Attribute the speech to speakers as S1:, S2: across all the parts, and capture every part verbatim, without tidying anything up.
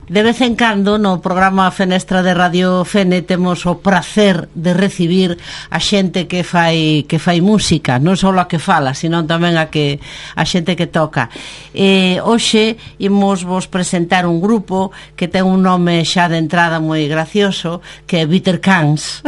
S1: De vez en cando no programa Fenestra de Radio Fene temos o prazer de recibir a xente que fai que fai música, non só a que fala, sino tamén a que a xente que toca. Eh, hoxe imos vos presentar un grupo que ten un nome xa de entrada moi gracioso, que é Bitter Cans.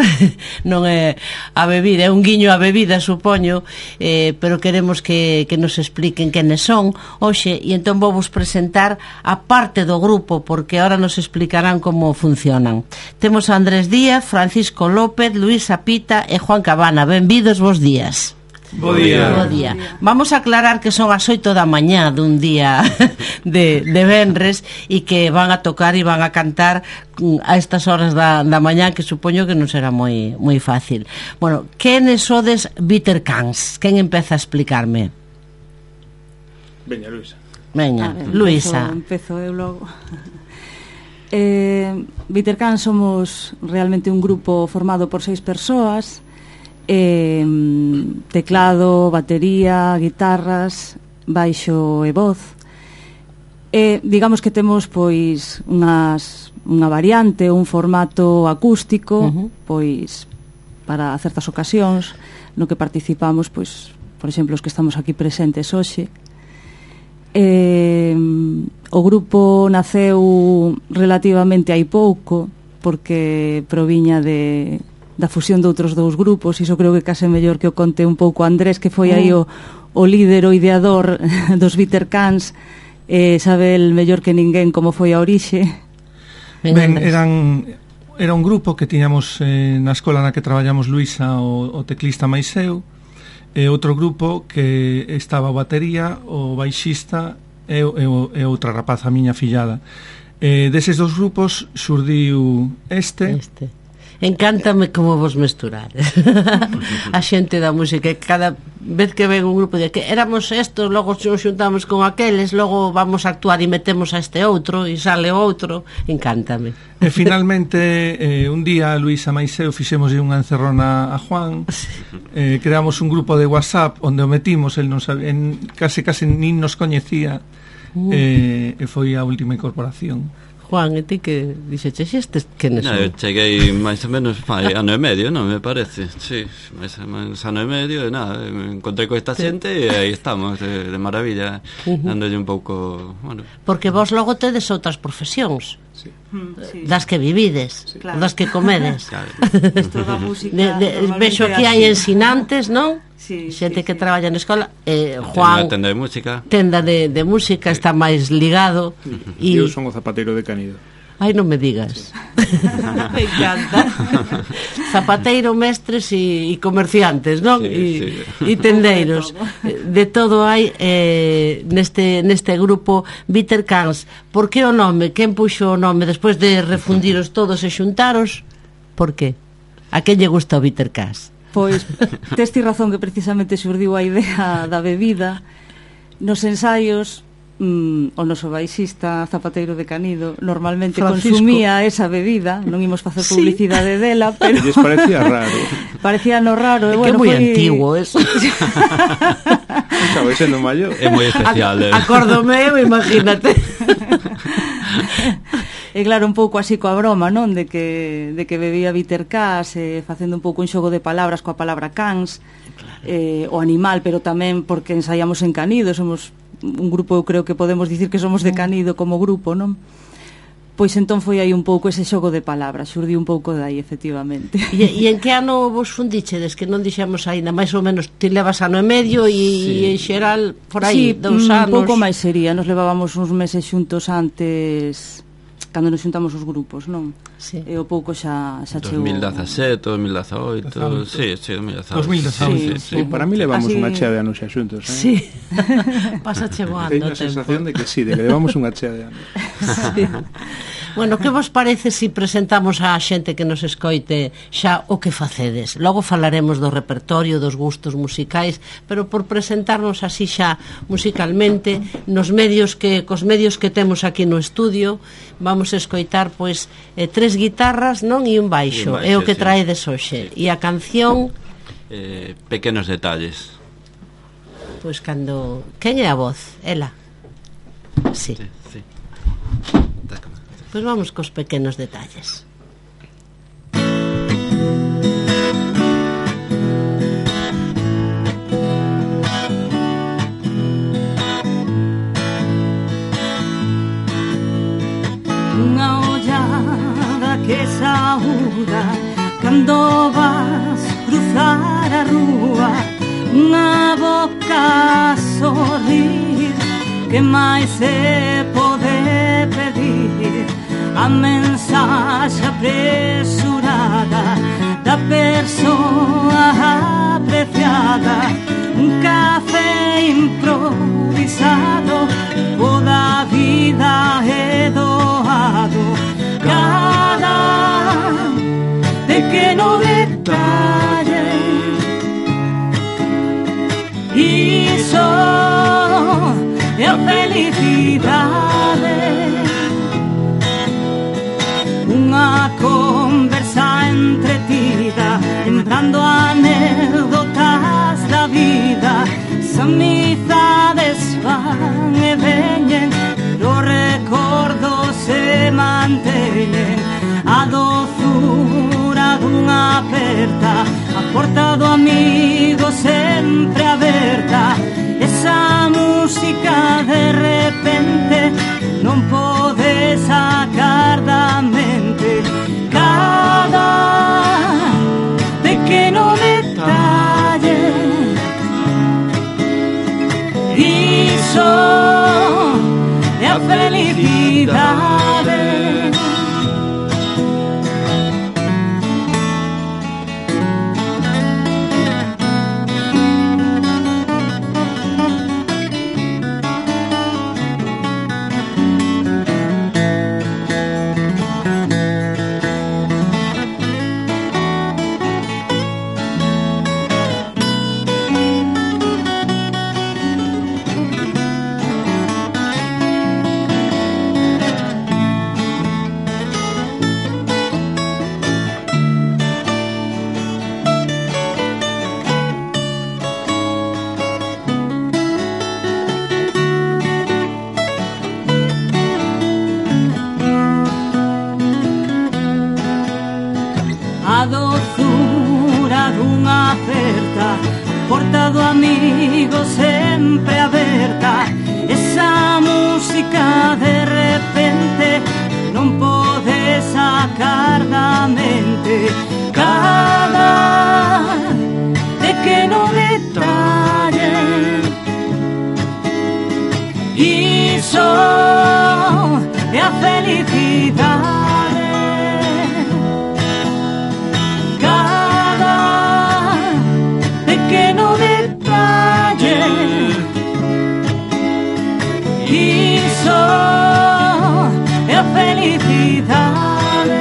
S1: Non é a bebida, é un guiño a bebida, supoño, eh, pero queremos que, que nos expliquen quenes son hoxe, e entón vou vos presentar a parte do grupo, porque que ahora nos explicarán como funcionan. Temos a Andrés Díaz, Francisco López, Luisa Pita e Juan Cabana. Benvidos, bos días.
S2: Bo día.
S1: Bo día. Vamos a aclarar que son as oito da mañá dun día de, de venres e que van a tocar e van a cantar a estas horas da, da mañá, que supoño que non será moi, moi fácil. Bueno, quenes sodes Bitter Cans? Quen empeza a explicarme?
S2: Veña, Luisa.
S1: Veña,
S3: ver,
S1: Luisa.
S3: Empezo, empezo eu logo. Eh, Bitter Cans somos realmente un grupo formado por seis persoas, eh, teclado, batería, guitarras, baixo e voz. Eh, digamos que temos pois unhas, unha variante, un formato acústico, uh-huh. pois para certas ocasións no que participamos, pois por exemplo os que estamos aquí presentes hoxe. Eh, o grupo naceu relativamente hai pouco, porque proviña de, da fusión de outros dous grupos. Iso creo que case mellor que o conte un pouco Andrés, que foi aí o, o líder, o ideador dos Bitter Cans. eh, sabe el mellor que ninguén como foi a orixe.
S2: Ben, eran, era un grupo que tiñamos eh, na escola na que traballamos Luisa, o, o teclista máis eu, e outro grupo que estaba o batería, o baixista e, e, e outra rapaza, a miña fillada. E deses dos grupos xurdiu este,
S1: este. Encántame como vos mesturades a xente da música. Cada vez que ven un grupo de que éramos estos, logo nos xuntamos con aqueles, logo vamos a actuar e metemos a este outro e sale outro. Encántame.
S2: E finalmente eh, un día Luisa máis eu fixemos unha encerrona a Juan, eh, creamos un grupo de WhatsApp onde o metimos, el non sabe, en, case case nin nos coñecía, uh. eh, e foi a última incorporación.
S1: Juan, e ti que dixeches estes quenes son?
S4: No, eu cheguei máis ou menos fai ano e medio, non me parece. Sí, máis ou menos ano e medio, e nada, me encontrei con esta xente e aí estamos, de, de maravilla, uh-huh. dándolle un pouco, bueno.
S1: Porque vos logo tedes outras profesións.
S2: Sí.
S3: Mm, sí.
S1: Das que vivides, sí.
S3: Claro.
S1: Das que comedes.
S4: Claro.
S3: Esto da música.
S1: De, de, vexo aquí hai ensinantes, non?
S3: Sí,
S1: xente
S3: sí,
S1: que
S3: sí.
S1: traballa na escola. eh, Juan,
S4: tenda de música.
S1: Tenda de, de música, sí. Está máis ligado.
S2: E eu son o zapateiro de Canido.
S1: Ai, non me digas. Me encanta. Zapateiro, mestres e, e comerciantes, non? E sí, sí. tendeiros. De todo hai eh, neste, neste grupo Bitter Cans. Por que o nome? Quen puxo o nome despois de refundiros todos e xuntaros? Por que? A quen lle gusta o Bitter Cans?
S3: Pois, testi razón que precisamente xurdiu a idea da bebida. Nos ensaios, mm, o noso baixista zapateiro de Canido normalmente Francisco consumía esa bebida. Non imos facer publicidade sí. dela, pero
S2: lles parecía raro.
S3: Parecía no raro.
S1: É
S3: bueno,
S1: que é moi
S3: foi...
S1: antigo eso.
S2: Estaba sendo maior.
S4: É moi especial.
S1: A, acórdome eu, imagínate.
S3: E claro, un pouco así coa broma, non? De que, de que bebía Bitter Cans, eh, facendo un pouco un xogo de palabras coa palabra cans, claro. eh, o animal, pero tamén porque ensaiamos en Canido, somos un grupo, eu creo que podemos dicir que somos de Canido como grupo, non? Pois entón foi aí un pouco ese xogo de palabras, xurdiu un pouco dai, efectivamente.
S1: E, e en que ano vos fundichedes? Que non dixemos aínda, máis ou menos, ti levas ano e medio e, sí. e en xeral, por aí,
S3: sí,
S1: dous anos.
S3: Un pouco máis sería, nos levábamos uns meses xuntos antes, cando nos xuntamos os grupos, non?
S1: Sí.
S3: E o pouco xa, xa chegou.
S4: dos mil dezasete, dos mil dezaoito, sí, sí, dos mil dezaoito.
S2: dos mil dezaoito,
S4: sí,
S2: sí,
S4: sí,
S2: sí. Para mí levamos
S3: así...
S2: unha chea de anos xa xuntos, eh?
S1: Sí. Pasa chegoando o
S2: tempo. Teño a sensación de que sí, de que levamos unha chea de anos.
S1: Sí. Bueno, que vos parece se si presentamos á xente que nos escoite xa o que facedes? Logo falaremos do repertorio, dos gustos musicais, pero por presentarnos así xa musicalmente, nos medios que cos medios que temos aquí no estudio, vamos a escoitar pois eh, tres guitarras, non, e un baixo, é o que sí. traedes hoxe. E a canción
S4: eh, Pequenos detalles.
S1: Pois cando... Quen é a voz? Ela? Sí.
S4: Sí, sí.
S1: Pois vamos cos pequenos detalles.
S3: Unha ollada que saúda cando vas cruzar a rúa, unha boca a sorrir, que máis se pode pedir? A mensaxe apresurada da persoa apreciada, un café improvisado, toda a vida é doado, cada pequeno detalle, iso é a felicidade. Unha conversa entretida, lembrando anécdotas da vida, as amizades van e veñen, os recordos se manteñen, a dozura dunha aperta, a porta do amigo sempre aberta, esa música de repente non pode sacar da mente, cada pequeno detalle, iso é a felicidade. A dozura dunha aperta, porta do amigo sempre aberta, esa música de repente non pode sacar da mente, cada pequeno detalle, iso é a felicidade. Iso é a felicidade.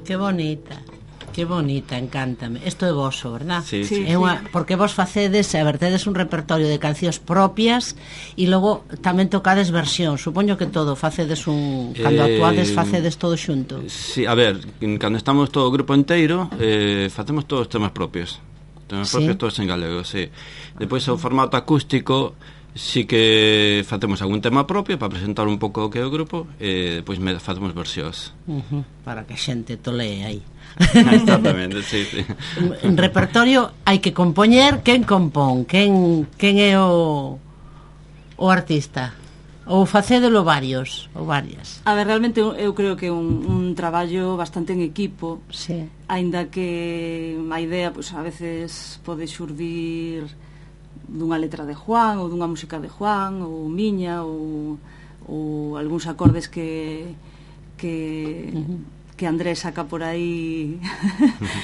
S1: Que bonita, que bonita, encántame. Isto é voso, verdad?
S4: Sí,
S3: sí.
S1: É unha, porque vos facedes, a ver, tedes un repertorio de cancións propias e logo tamén tocades versión. Supoño que todo, facedes un... Cando
S4: Eh,
S1: actuades, facedes todo xunto.
S4: Sí, a ver, cando estamos todo o grupo inteiro, eh, facemos todos os temas propios. Temas
S1: Sí.
S4: propios todos en galego, sí. Depois o formato acústico sí que facemos algún tema propio para presentar un pouco o que é o grupo e depois me facemos versións.
S1: Uh-huh, para que a xente tolee aí.
S4: Exactamente, sí, sí.
S1: En repertorio hai que compoñer, quen compón, quen, quen é o, o artista, ou facédelo varios ou varias.
S3: A ver, realmente eu, eu creo que é un, un traballo bastante en equipo,
S1: Sí.
S3: aínda que a idea pues, a veces pode xurdir dunha letra de Juan ou dunha música de Juan ou miña ou, ou algúns acordes que que uh-huh. que Andrés saca por aí.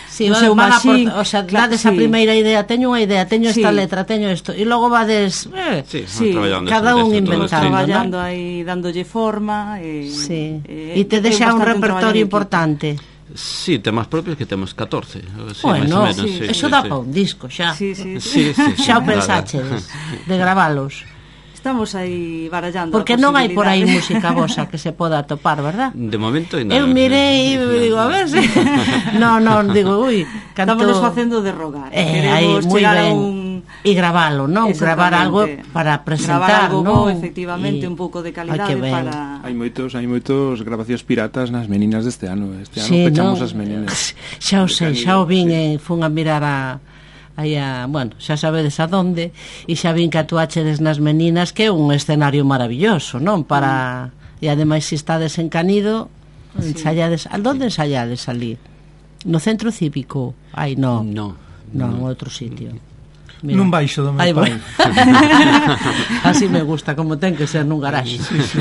S1: Sí,
S3: no
S1: van,
S3: seu
S1: van
S3: machín,
S1: aport, o sea,
S3: claro,
S1: dades a
S3: sí.
S1: primeira idea, teño unha idea, teño esta
S3: Sí.
S1: letra, teño isto, e logo vades eh,
S4: Sí,
S3: Sí,
S4: traballando
S1: cada
S4: sobre
S1: un
S4: eso,
S1: inventando,
S4: todo, sí.
S3: traballando aí, dándolle forma e,
S1: sí.
S3: e,
S1: E te deixa un
S3: bastante
S1: repertorio
S3: traballo en equipo.
S1: importante.
S4: Sí, temas propios que temos catorce. Sí,
S1: Bueno,
S4: máis ou menos,
S3: sí,
S4: sí,
S1: eso
S4: sí,
S1: dá
S4: sí.
S1: para un disco xa.
S3: Sí, sí, sí.
S4: Sí, sí, sí,
S1: Xa o
S4: claro.
S1: pensachedes de gravalos.
S3: Estamos aí barallando.
S1: Porque
S3: a
S1: non hai por aí
S3: posibilidade.
S1: música vosa que se poda atopar, verdad?
S4: De momento ainda
S1: Eu
S4: non.
S1: mirei e digo, a ver se... No, non, digo, ui, canto...
S3: Estamos facendo de rogar.
S1: Eh,
S3: Queremos
S1: aí, moi
S3: chegar
S1: ben.
S3: a un
S1: E gravalo, non? Gravar algo para presentar,
S3: non?
S1: Gravar algo,
S3: efectivamente, un pouco de calidade para...
S5: Hai moitos, hai moitos grabacións piratas nas meninas deste ano. Este ano sí, pechamos no? as meninas.
S1: Xa o sei, xa o vin, sí. Fun a mirar a... Aí a, bueno, xa sabedes a donde, e xa vin que atuachedes nas meninas, que é un escenario maravilloso, non? Para... Mm. E ademais, se estades en Canido, sí. ensayades... Onde ensayades ali? No centro cívico? Ai, non.
S4: Non.
S1: Non, en outro sitio.
S2: Mira. Nun baixo do meu pai.
S1: Así me gusta, como ten que ser nun garaxe.
S2: Sí, sí.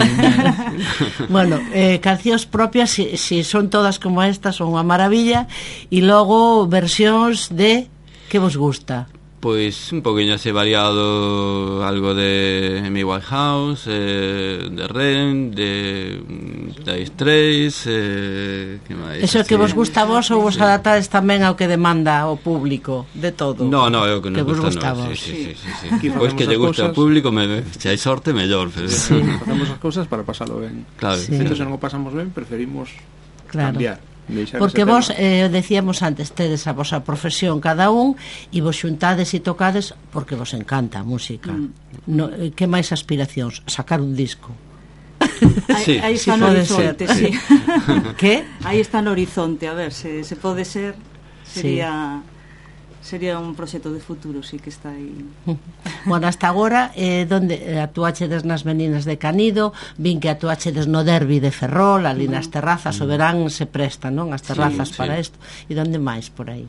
S1: Bueno, eh, cancións propias, si, si son todas como estas, son unha maravilla. E logo versións de... Que vos gusta?
S4: Pois un poquinho así variado, algo de Amy Winehouse, eh, de Ren, de Dire Straits, eh, que máis?
S1: Eso que vos gusta a vos ou vos adaptades tamén ao que demanda o público, de todo?
S4: No, no, é o que nos
S1: que
S4: gusta,
S1: gusta
S4: no,
S1: vos.
S4: Sí, sí, sí, sí, sí. Pois que lle gusta ao público, me, se hai sorte, mellor. Pero...
S5: Sí. Facemos as cousas para pasalo ben.
S4: Claro,
S5: sí. Se non o pasamos ben, preferimos
S1: claro.
S5: cambiar.
S1: Porque vos, eh, decíamos antes, tedes a vosa profesión cada un e vos xuntades e tocades porque vos encanta a música. Mm. No, eh, que máis aspiracións? Sacar un disco.
S3: Sí. Aí está si no horizonte, sí.
S1: Que?
S3: Aí está no horizonte, a ver, se, se pode ser, sería... Sí. Sería un proxecto de futuro, sí que está aí.
S1: Bueno, hasta agora, eh, donde atuachedes nas meninas de Canido, vin que atuachedes no derbi de Ferrol, ali nas terrazas, o verán se presta, non? As terrazas sí, para isto. E donde máis por aí?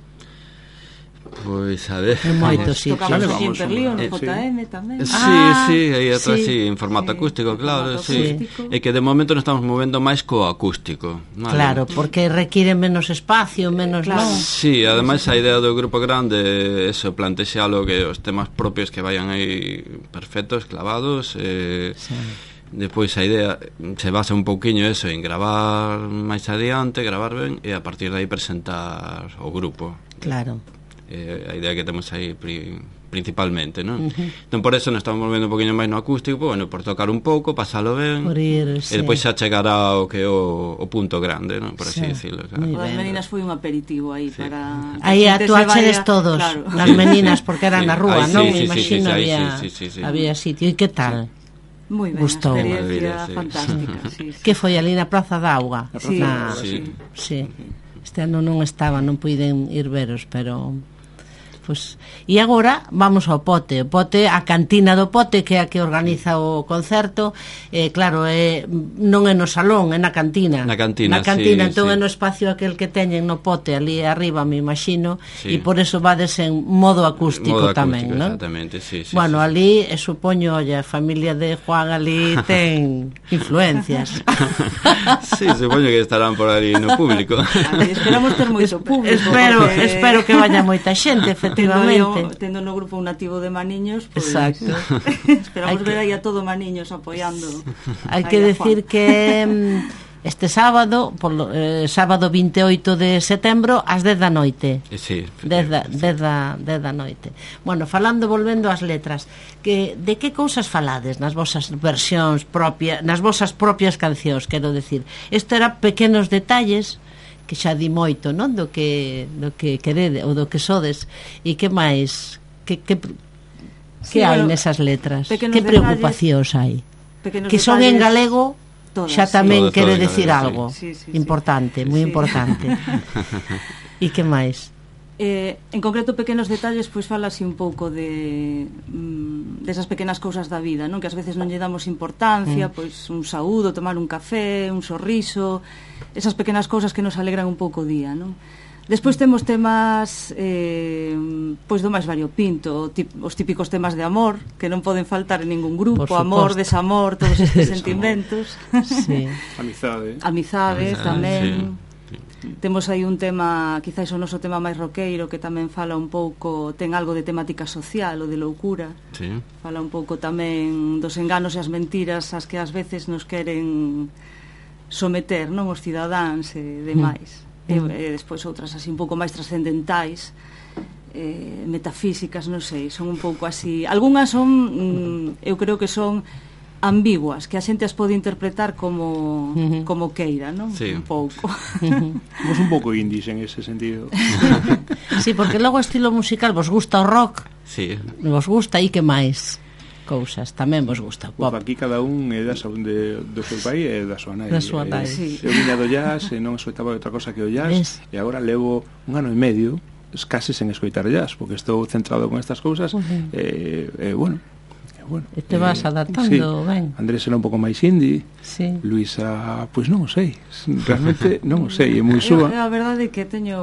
S4: Pois, a ver...
S1: En moitos sitios.
S3: Tocamos aquí en Perlío, no J M tamén.
S4: Sí, ah, sí, aí atrás, sí, sí, en formato sí, acústico, claro, sí. Acústico. É que de momento nos estamos movendo máis co acústico. Vale.
S1: Claro, porque requiere menos espacio, menos...
S3: Claro.
S1: Non?
S4: Sí, ademais a idea do grupo grande, eso, plantexalo que os temas propios que vayan aí perfectos, clavados, eh... Sí. Depois a idea se basa un pouquiño eso en gravar máis adiante, gravar ben e a partir de aí presentar o grupo.
S1: Claro.
S4: Eh, a idea que temos aí pri, principalmente, non? Uh-huh. Entón por eso nos estamos movendo un poquinho máis no acústico, bueno, por tocar un pouco, pasalo ben,
S1: ir, sí.
S4: e depois xa chegará o que é o, o punto grande, non? Por así sí. decirlo, claro.
S3: As meninas foi un aperitivo aí sí. para...
S1: Aí atuachedes todos, claro. As meninas, porque eran sí. na rúa,
S4: sí,
S1: non?
S4: Sí,
S1: Imagino
S4: sí, sí,
S1: había,
S4: sí, sí, sí.
S1: había sitio. E que tal?
S3: Sí. Moi ben,
S1: gustou.
S3: experiencia sí. fantástica sí, sí.
S1: Que foi ali na Praza da Auga?
S3: Sí,
S1: na...
S4: sí.
S1: sí. Este ano non estaba, non puiden ir veros, pero... Pues, e agora vamos ao Pote, o Pote, a cantina do Pote, que é a que organiza o concerto, eh, claro, é, non é no salón, é na cantina.
S4: Na cantina,
S1: na cantina
S4: sí,
S1: entón
S4: sí.
S1: é no espacio aquel que teñen no Pote, ali arriba, me imagino, sí. E por eso vades en modo acústico, modo tamén,
S4: acústico,
S1: non?
S4: Exactamente, sí, sí.
S1: Bueno,
S4: sí,
S1: ali, sí. supoño, oye, a familia de Juan ali ten influencias.
S4: Sí, supoño que estarán por ali no público.
S3: Ali, esperamos ter moito público.
S1: Espero, porque... espero que vaya moita xente, efectivamente.
S3: Tendo, tendo no grupo un nativo de Maniños, pues,
S1: exacto.
S3: Esperamos que... ver aí a todo Maniños apoiando.
S1: Hai que decir que este sábado, por, eh, sábado vinte e oito de setembro, ás dez da noite.
S4: Sí,
S1: dez da, dez da, dez da noite. Bueno, falando, volvendo ás letras, que de que cousas falades nas vosas versións propias, nas vosas propias cancións, quero decir. Isto era pequenos detalles que xa di moito, non? Do que do que querede ou do que sodes. E que máis? Que que sí, que hai bueno, nesas letras? Que preocupacións hai? Que son en galego, todas, xa tamén sí. quere todo decir galego, sí. Sí, sí, importante, sí. moi sí. importante. E que máis?
S3: Eh, en concreto, pequenos detalles, pois fala así un pouco de mm, desas pequenas cousas da vida, non? Que ás veces non lle damos importancia, mm. pois un saúdo, tomar un café, un sorriso, esas pequenas cousas que nos alegran un pouco o día, non? Despois temos temas eh, pois do máis variopinto, tip, os típicos temas de amor que non poden faltar en ningún grupo, amor, desamor, todos estes sentimentos.
S1: Sí.
S5: Amizade.
S3: Amizade, Amizade tamén. Sí. Temos aí un tema, quizáis o noso tema máis roqueiro, que tamén fala un pouco, ten algo de temática social ou de loucura.
S4: Sí.
S3: Fala un pouco tamén dos enganos e as mentiras ás que ás veces nos queren someter, non, os cidadáns e demais. Mm. E, e despois outras así un pouco máis trascendentais, eh, metafísicas, non sei, son un pouco así. Algúnas son, mm, eu creo que son ambiguas, que a xente as pode interpretar como uh -huh. como queira, non?
S4: Sí.
S3: Un pouco.
S5: Somos un pouco indies en ese sentido.
S1: Sí, porque logo o estilo musical vos gusta o rock?
S4: Sí.
S1: Vos gusta e que máis cousas tamén vos gusta?
S5: Pop. Uf, aquí cada un é da de, do seu país e da súa nai.
S1: Da súa nai.
S5: Sí. Eu viña do jazz e non escoitaba outra cosa que o jazz, e agora levo un ano e medio case sen escoitar jazz, porque estou centrado con estas cousas. Uh -huh. e, e bueno, Bueno,
S1: e te vas eh, adaptando, sí. Ben.
S5: Andrés era un pouco máis indie,
S1: sí.
S5: Luisa, pois pues non o sei, realmente non o sei, é moi súa.
S3: A verdade é que teño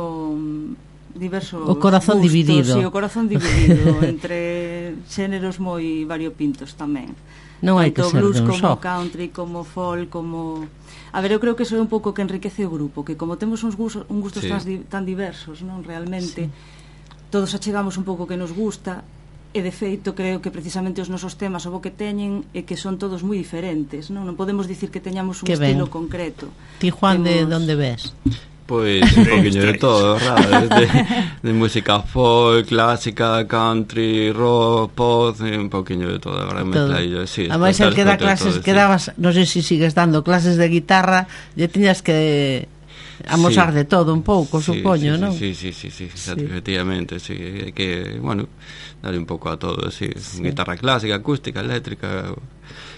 S3: diversos
S1: o corazón
S3: gustos,
S1: dividido.
S3: Sí, o corazón dividido entre xéneros moi variopintos tamén.
S1: Non hai que ser
S3: blues,
S1: de un
S3: como
S1: só.
S3: country, como folk, como... A ver, eu creo que eso é un pouco que enriquece o grupo, que como temos uns gustos, un gustos sí. tan, tan diversos, non realmente, sí. todos achegamos un pouco que nos gusta. E de feito creo que precisamente os nosos temas o bo que teñen é que son todos moi diferentes, non? Non podemos dicir que teñamos un
S1: que
S3: estilo
S1: ben.
S3: concreto.
S1: Ti, Juan,
S3: Temos...
S1: de onde ves?
S4: Pois un poquinho de todo, verdad? De, de música folk, clásica, country, rock, pop, un poquinho de todo, agora mezclaillo, sí.
S1: Ademais, el que dá clases, todo, que dabas, sí. non sei se sigues dando clases de guitarra, lle tiñas que amosar sí. de todo un pouco, sí, supoño,
S4: sí,
S1: non?
S4: Sí, sí, sí, sí, sí, efectivamente, sí, hai que, bueno, darle un pouco a todo, sí, sí. Guitarra clásica, acústica, eléctrica.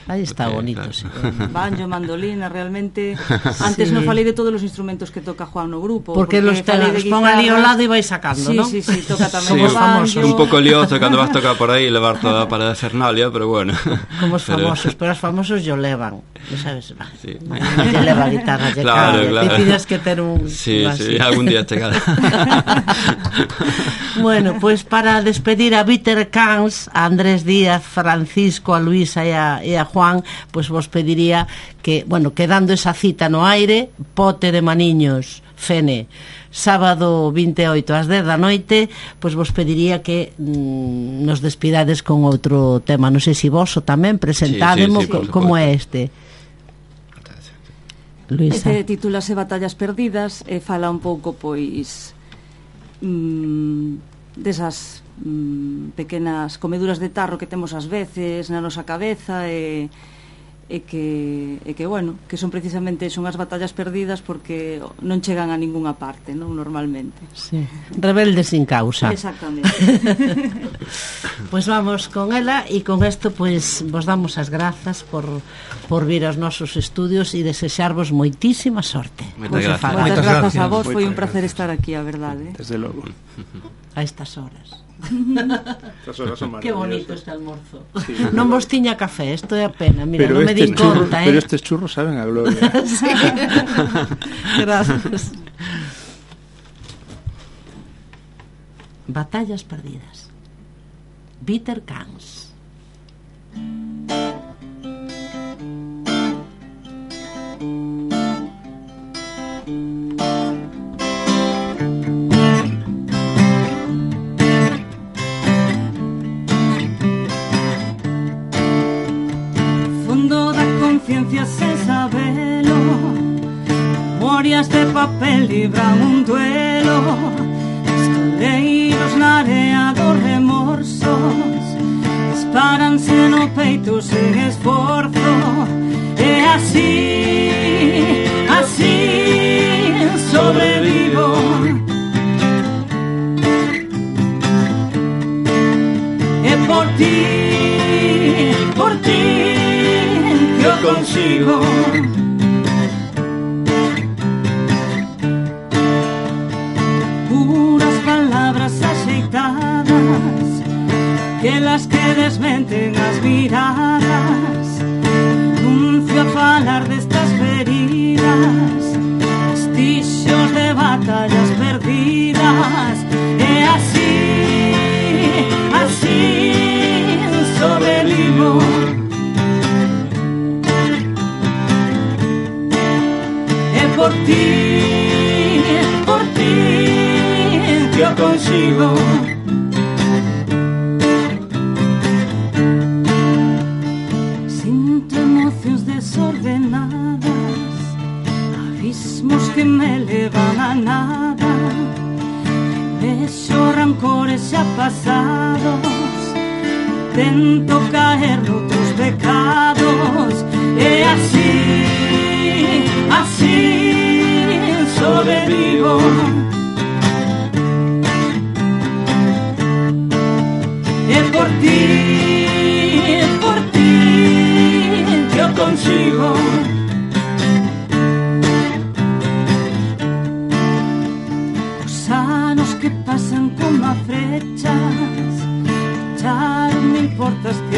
S1: Aí está
S4: porque,
S1: bonito,
S4: claro.
S1: sí.
S3: Banjo, mandolina, realmente antes sí. non falei de todos os instrumentos que toca Juan no grupo,
S1: porque, porque los, te, los pon ali ao lado e vais sacando,
S3: sí,
S1: ¿no?
S3: Sí, sí, toca tamén
S4: sí,
S3: o banjo.
S4: Un pouco lioso cando vas tocar por aí levar toda a parada Fernalia, pero bueno.
S1: Como os famosos, pero, pero os famosos yo levan, non sabes, sí. Non lle leva a guitarra, lle
S4: claro,
S1: cabe,
S4: claro.
S1: Te tienes que ter un...
S4: Sí, sí, algún día chegará.
S1: Bueno, pues para despedir a Bitter Cans, a Andrés Díaz, Francisco, a Luisa e a, e a Juan, pues vos pediría que, bueno, quedando esa cita no aire, Pote de Maniños, Fene, sábado vinte e oito ás dez da noite, pois vos pediría que mm, nos despidades con outro tema, non sei se vos o tamén presentádemo, sí, sí, sí, como é este. Luisa.
S3: Este titúlase Batallas Perdidas e fala un pouco, pois, mmm, desas mmm, pequenas comeduras de tarro que temos ás veces na nosa cabeza e e que, e que bueno, que son precisamente son as batallas perdidas porque non chegan a ningunha parte, non, normalmente.
S1: Sí. Rebeldes sin causa.
S3: Exactamente.
S1: Pois pues vamos con ela e con isto pois pues, vos damos as grazas por, por vir aos nosos estudios e desexarvos moitísima sorte.
S4: Moitas grazas.
S3: Moitas grazas a vos, foi un placer estar aquí, a verdade.
S5: Desde logo.
S1: A estas horas.
S5: Estas horas son maravillosas.
S1: Que bonito este almorzo.
S5: Sí,
S1: non vos tiña café, isto é a pena. Mira,
S5: pero
S1: non me din
S5: churros,
S1: conta, eh.
S5: Pero estes churros saben a gloria.
S1: Sí. Gracias. Batallas perdidas. Bitter Cans.
S3: Conciencia sen sabelo, memorias de papel libran un duelo, escoleiros na area dos remorsos, disparanse no peito sen esforzo, e así, así sobrevivo. E por ti, por ti yo consigo. Puras palabras axeitadas, que las que desmenten as miradas, nuncio a falar destas feridas, vestixios de batallas perdidas, e así, así sobrevivo. Por ti, por ti, yo consigo. Siento emociones desordenadas, abismos que me elevan a nada. Vexo rancores ya pasados, tento caer noutros pecados.
S6: anos e así, así sobrevivo. E por ti, por ti yo consigo. Os anos que pasan como a frechas, xa non me importas que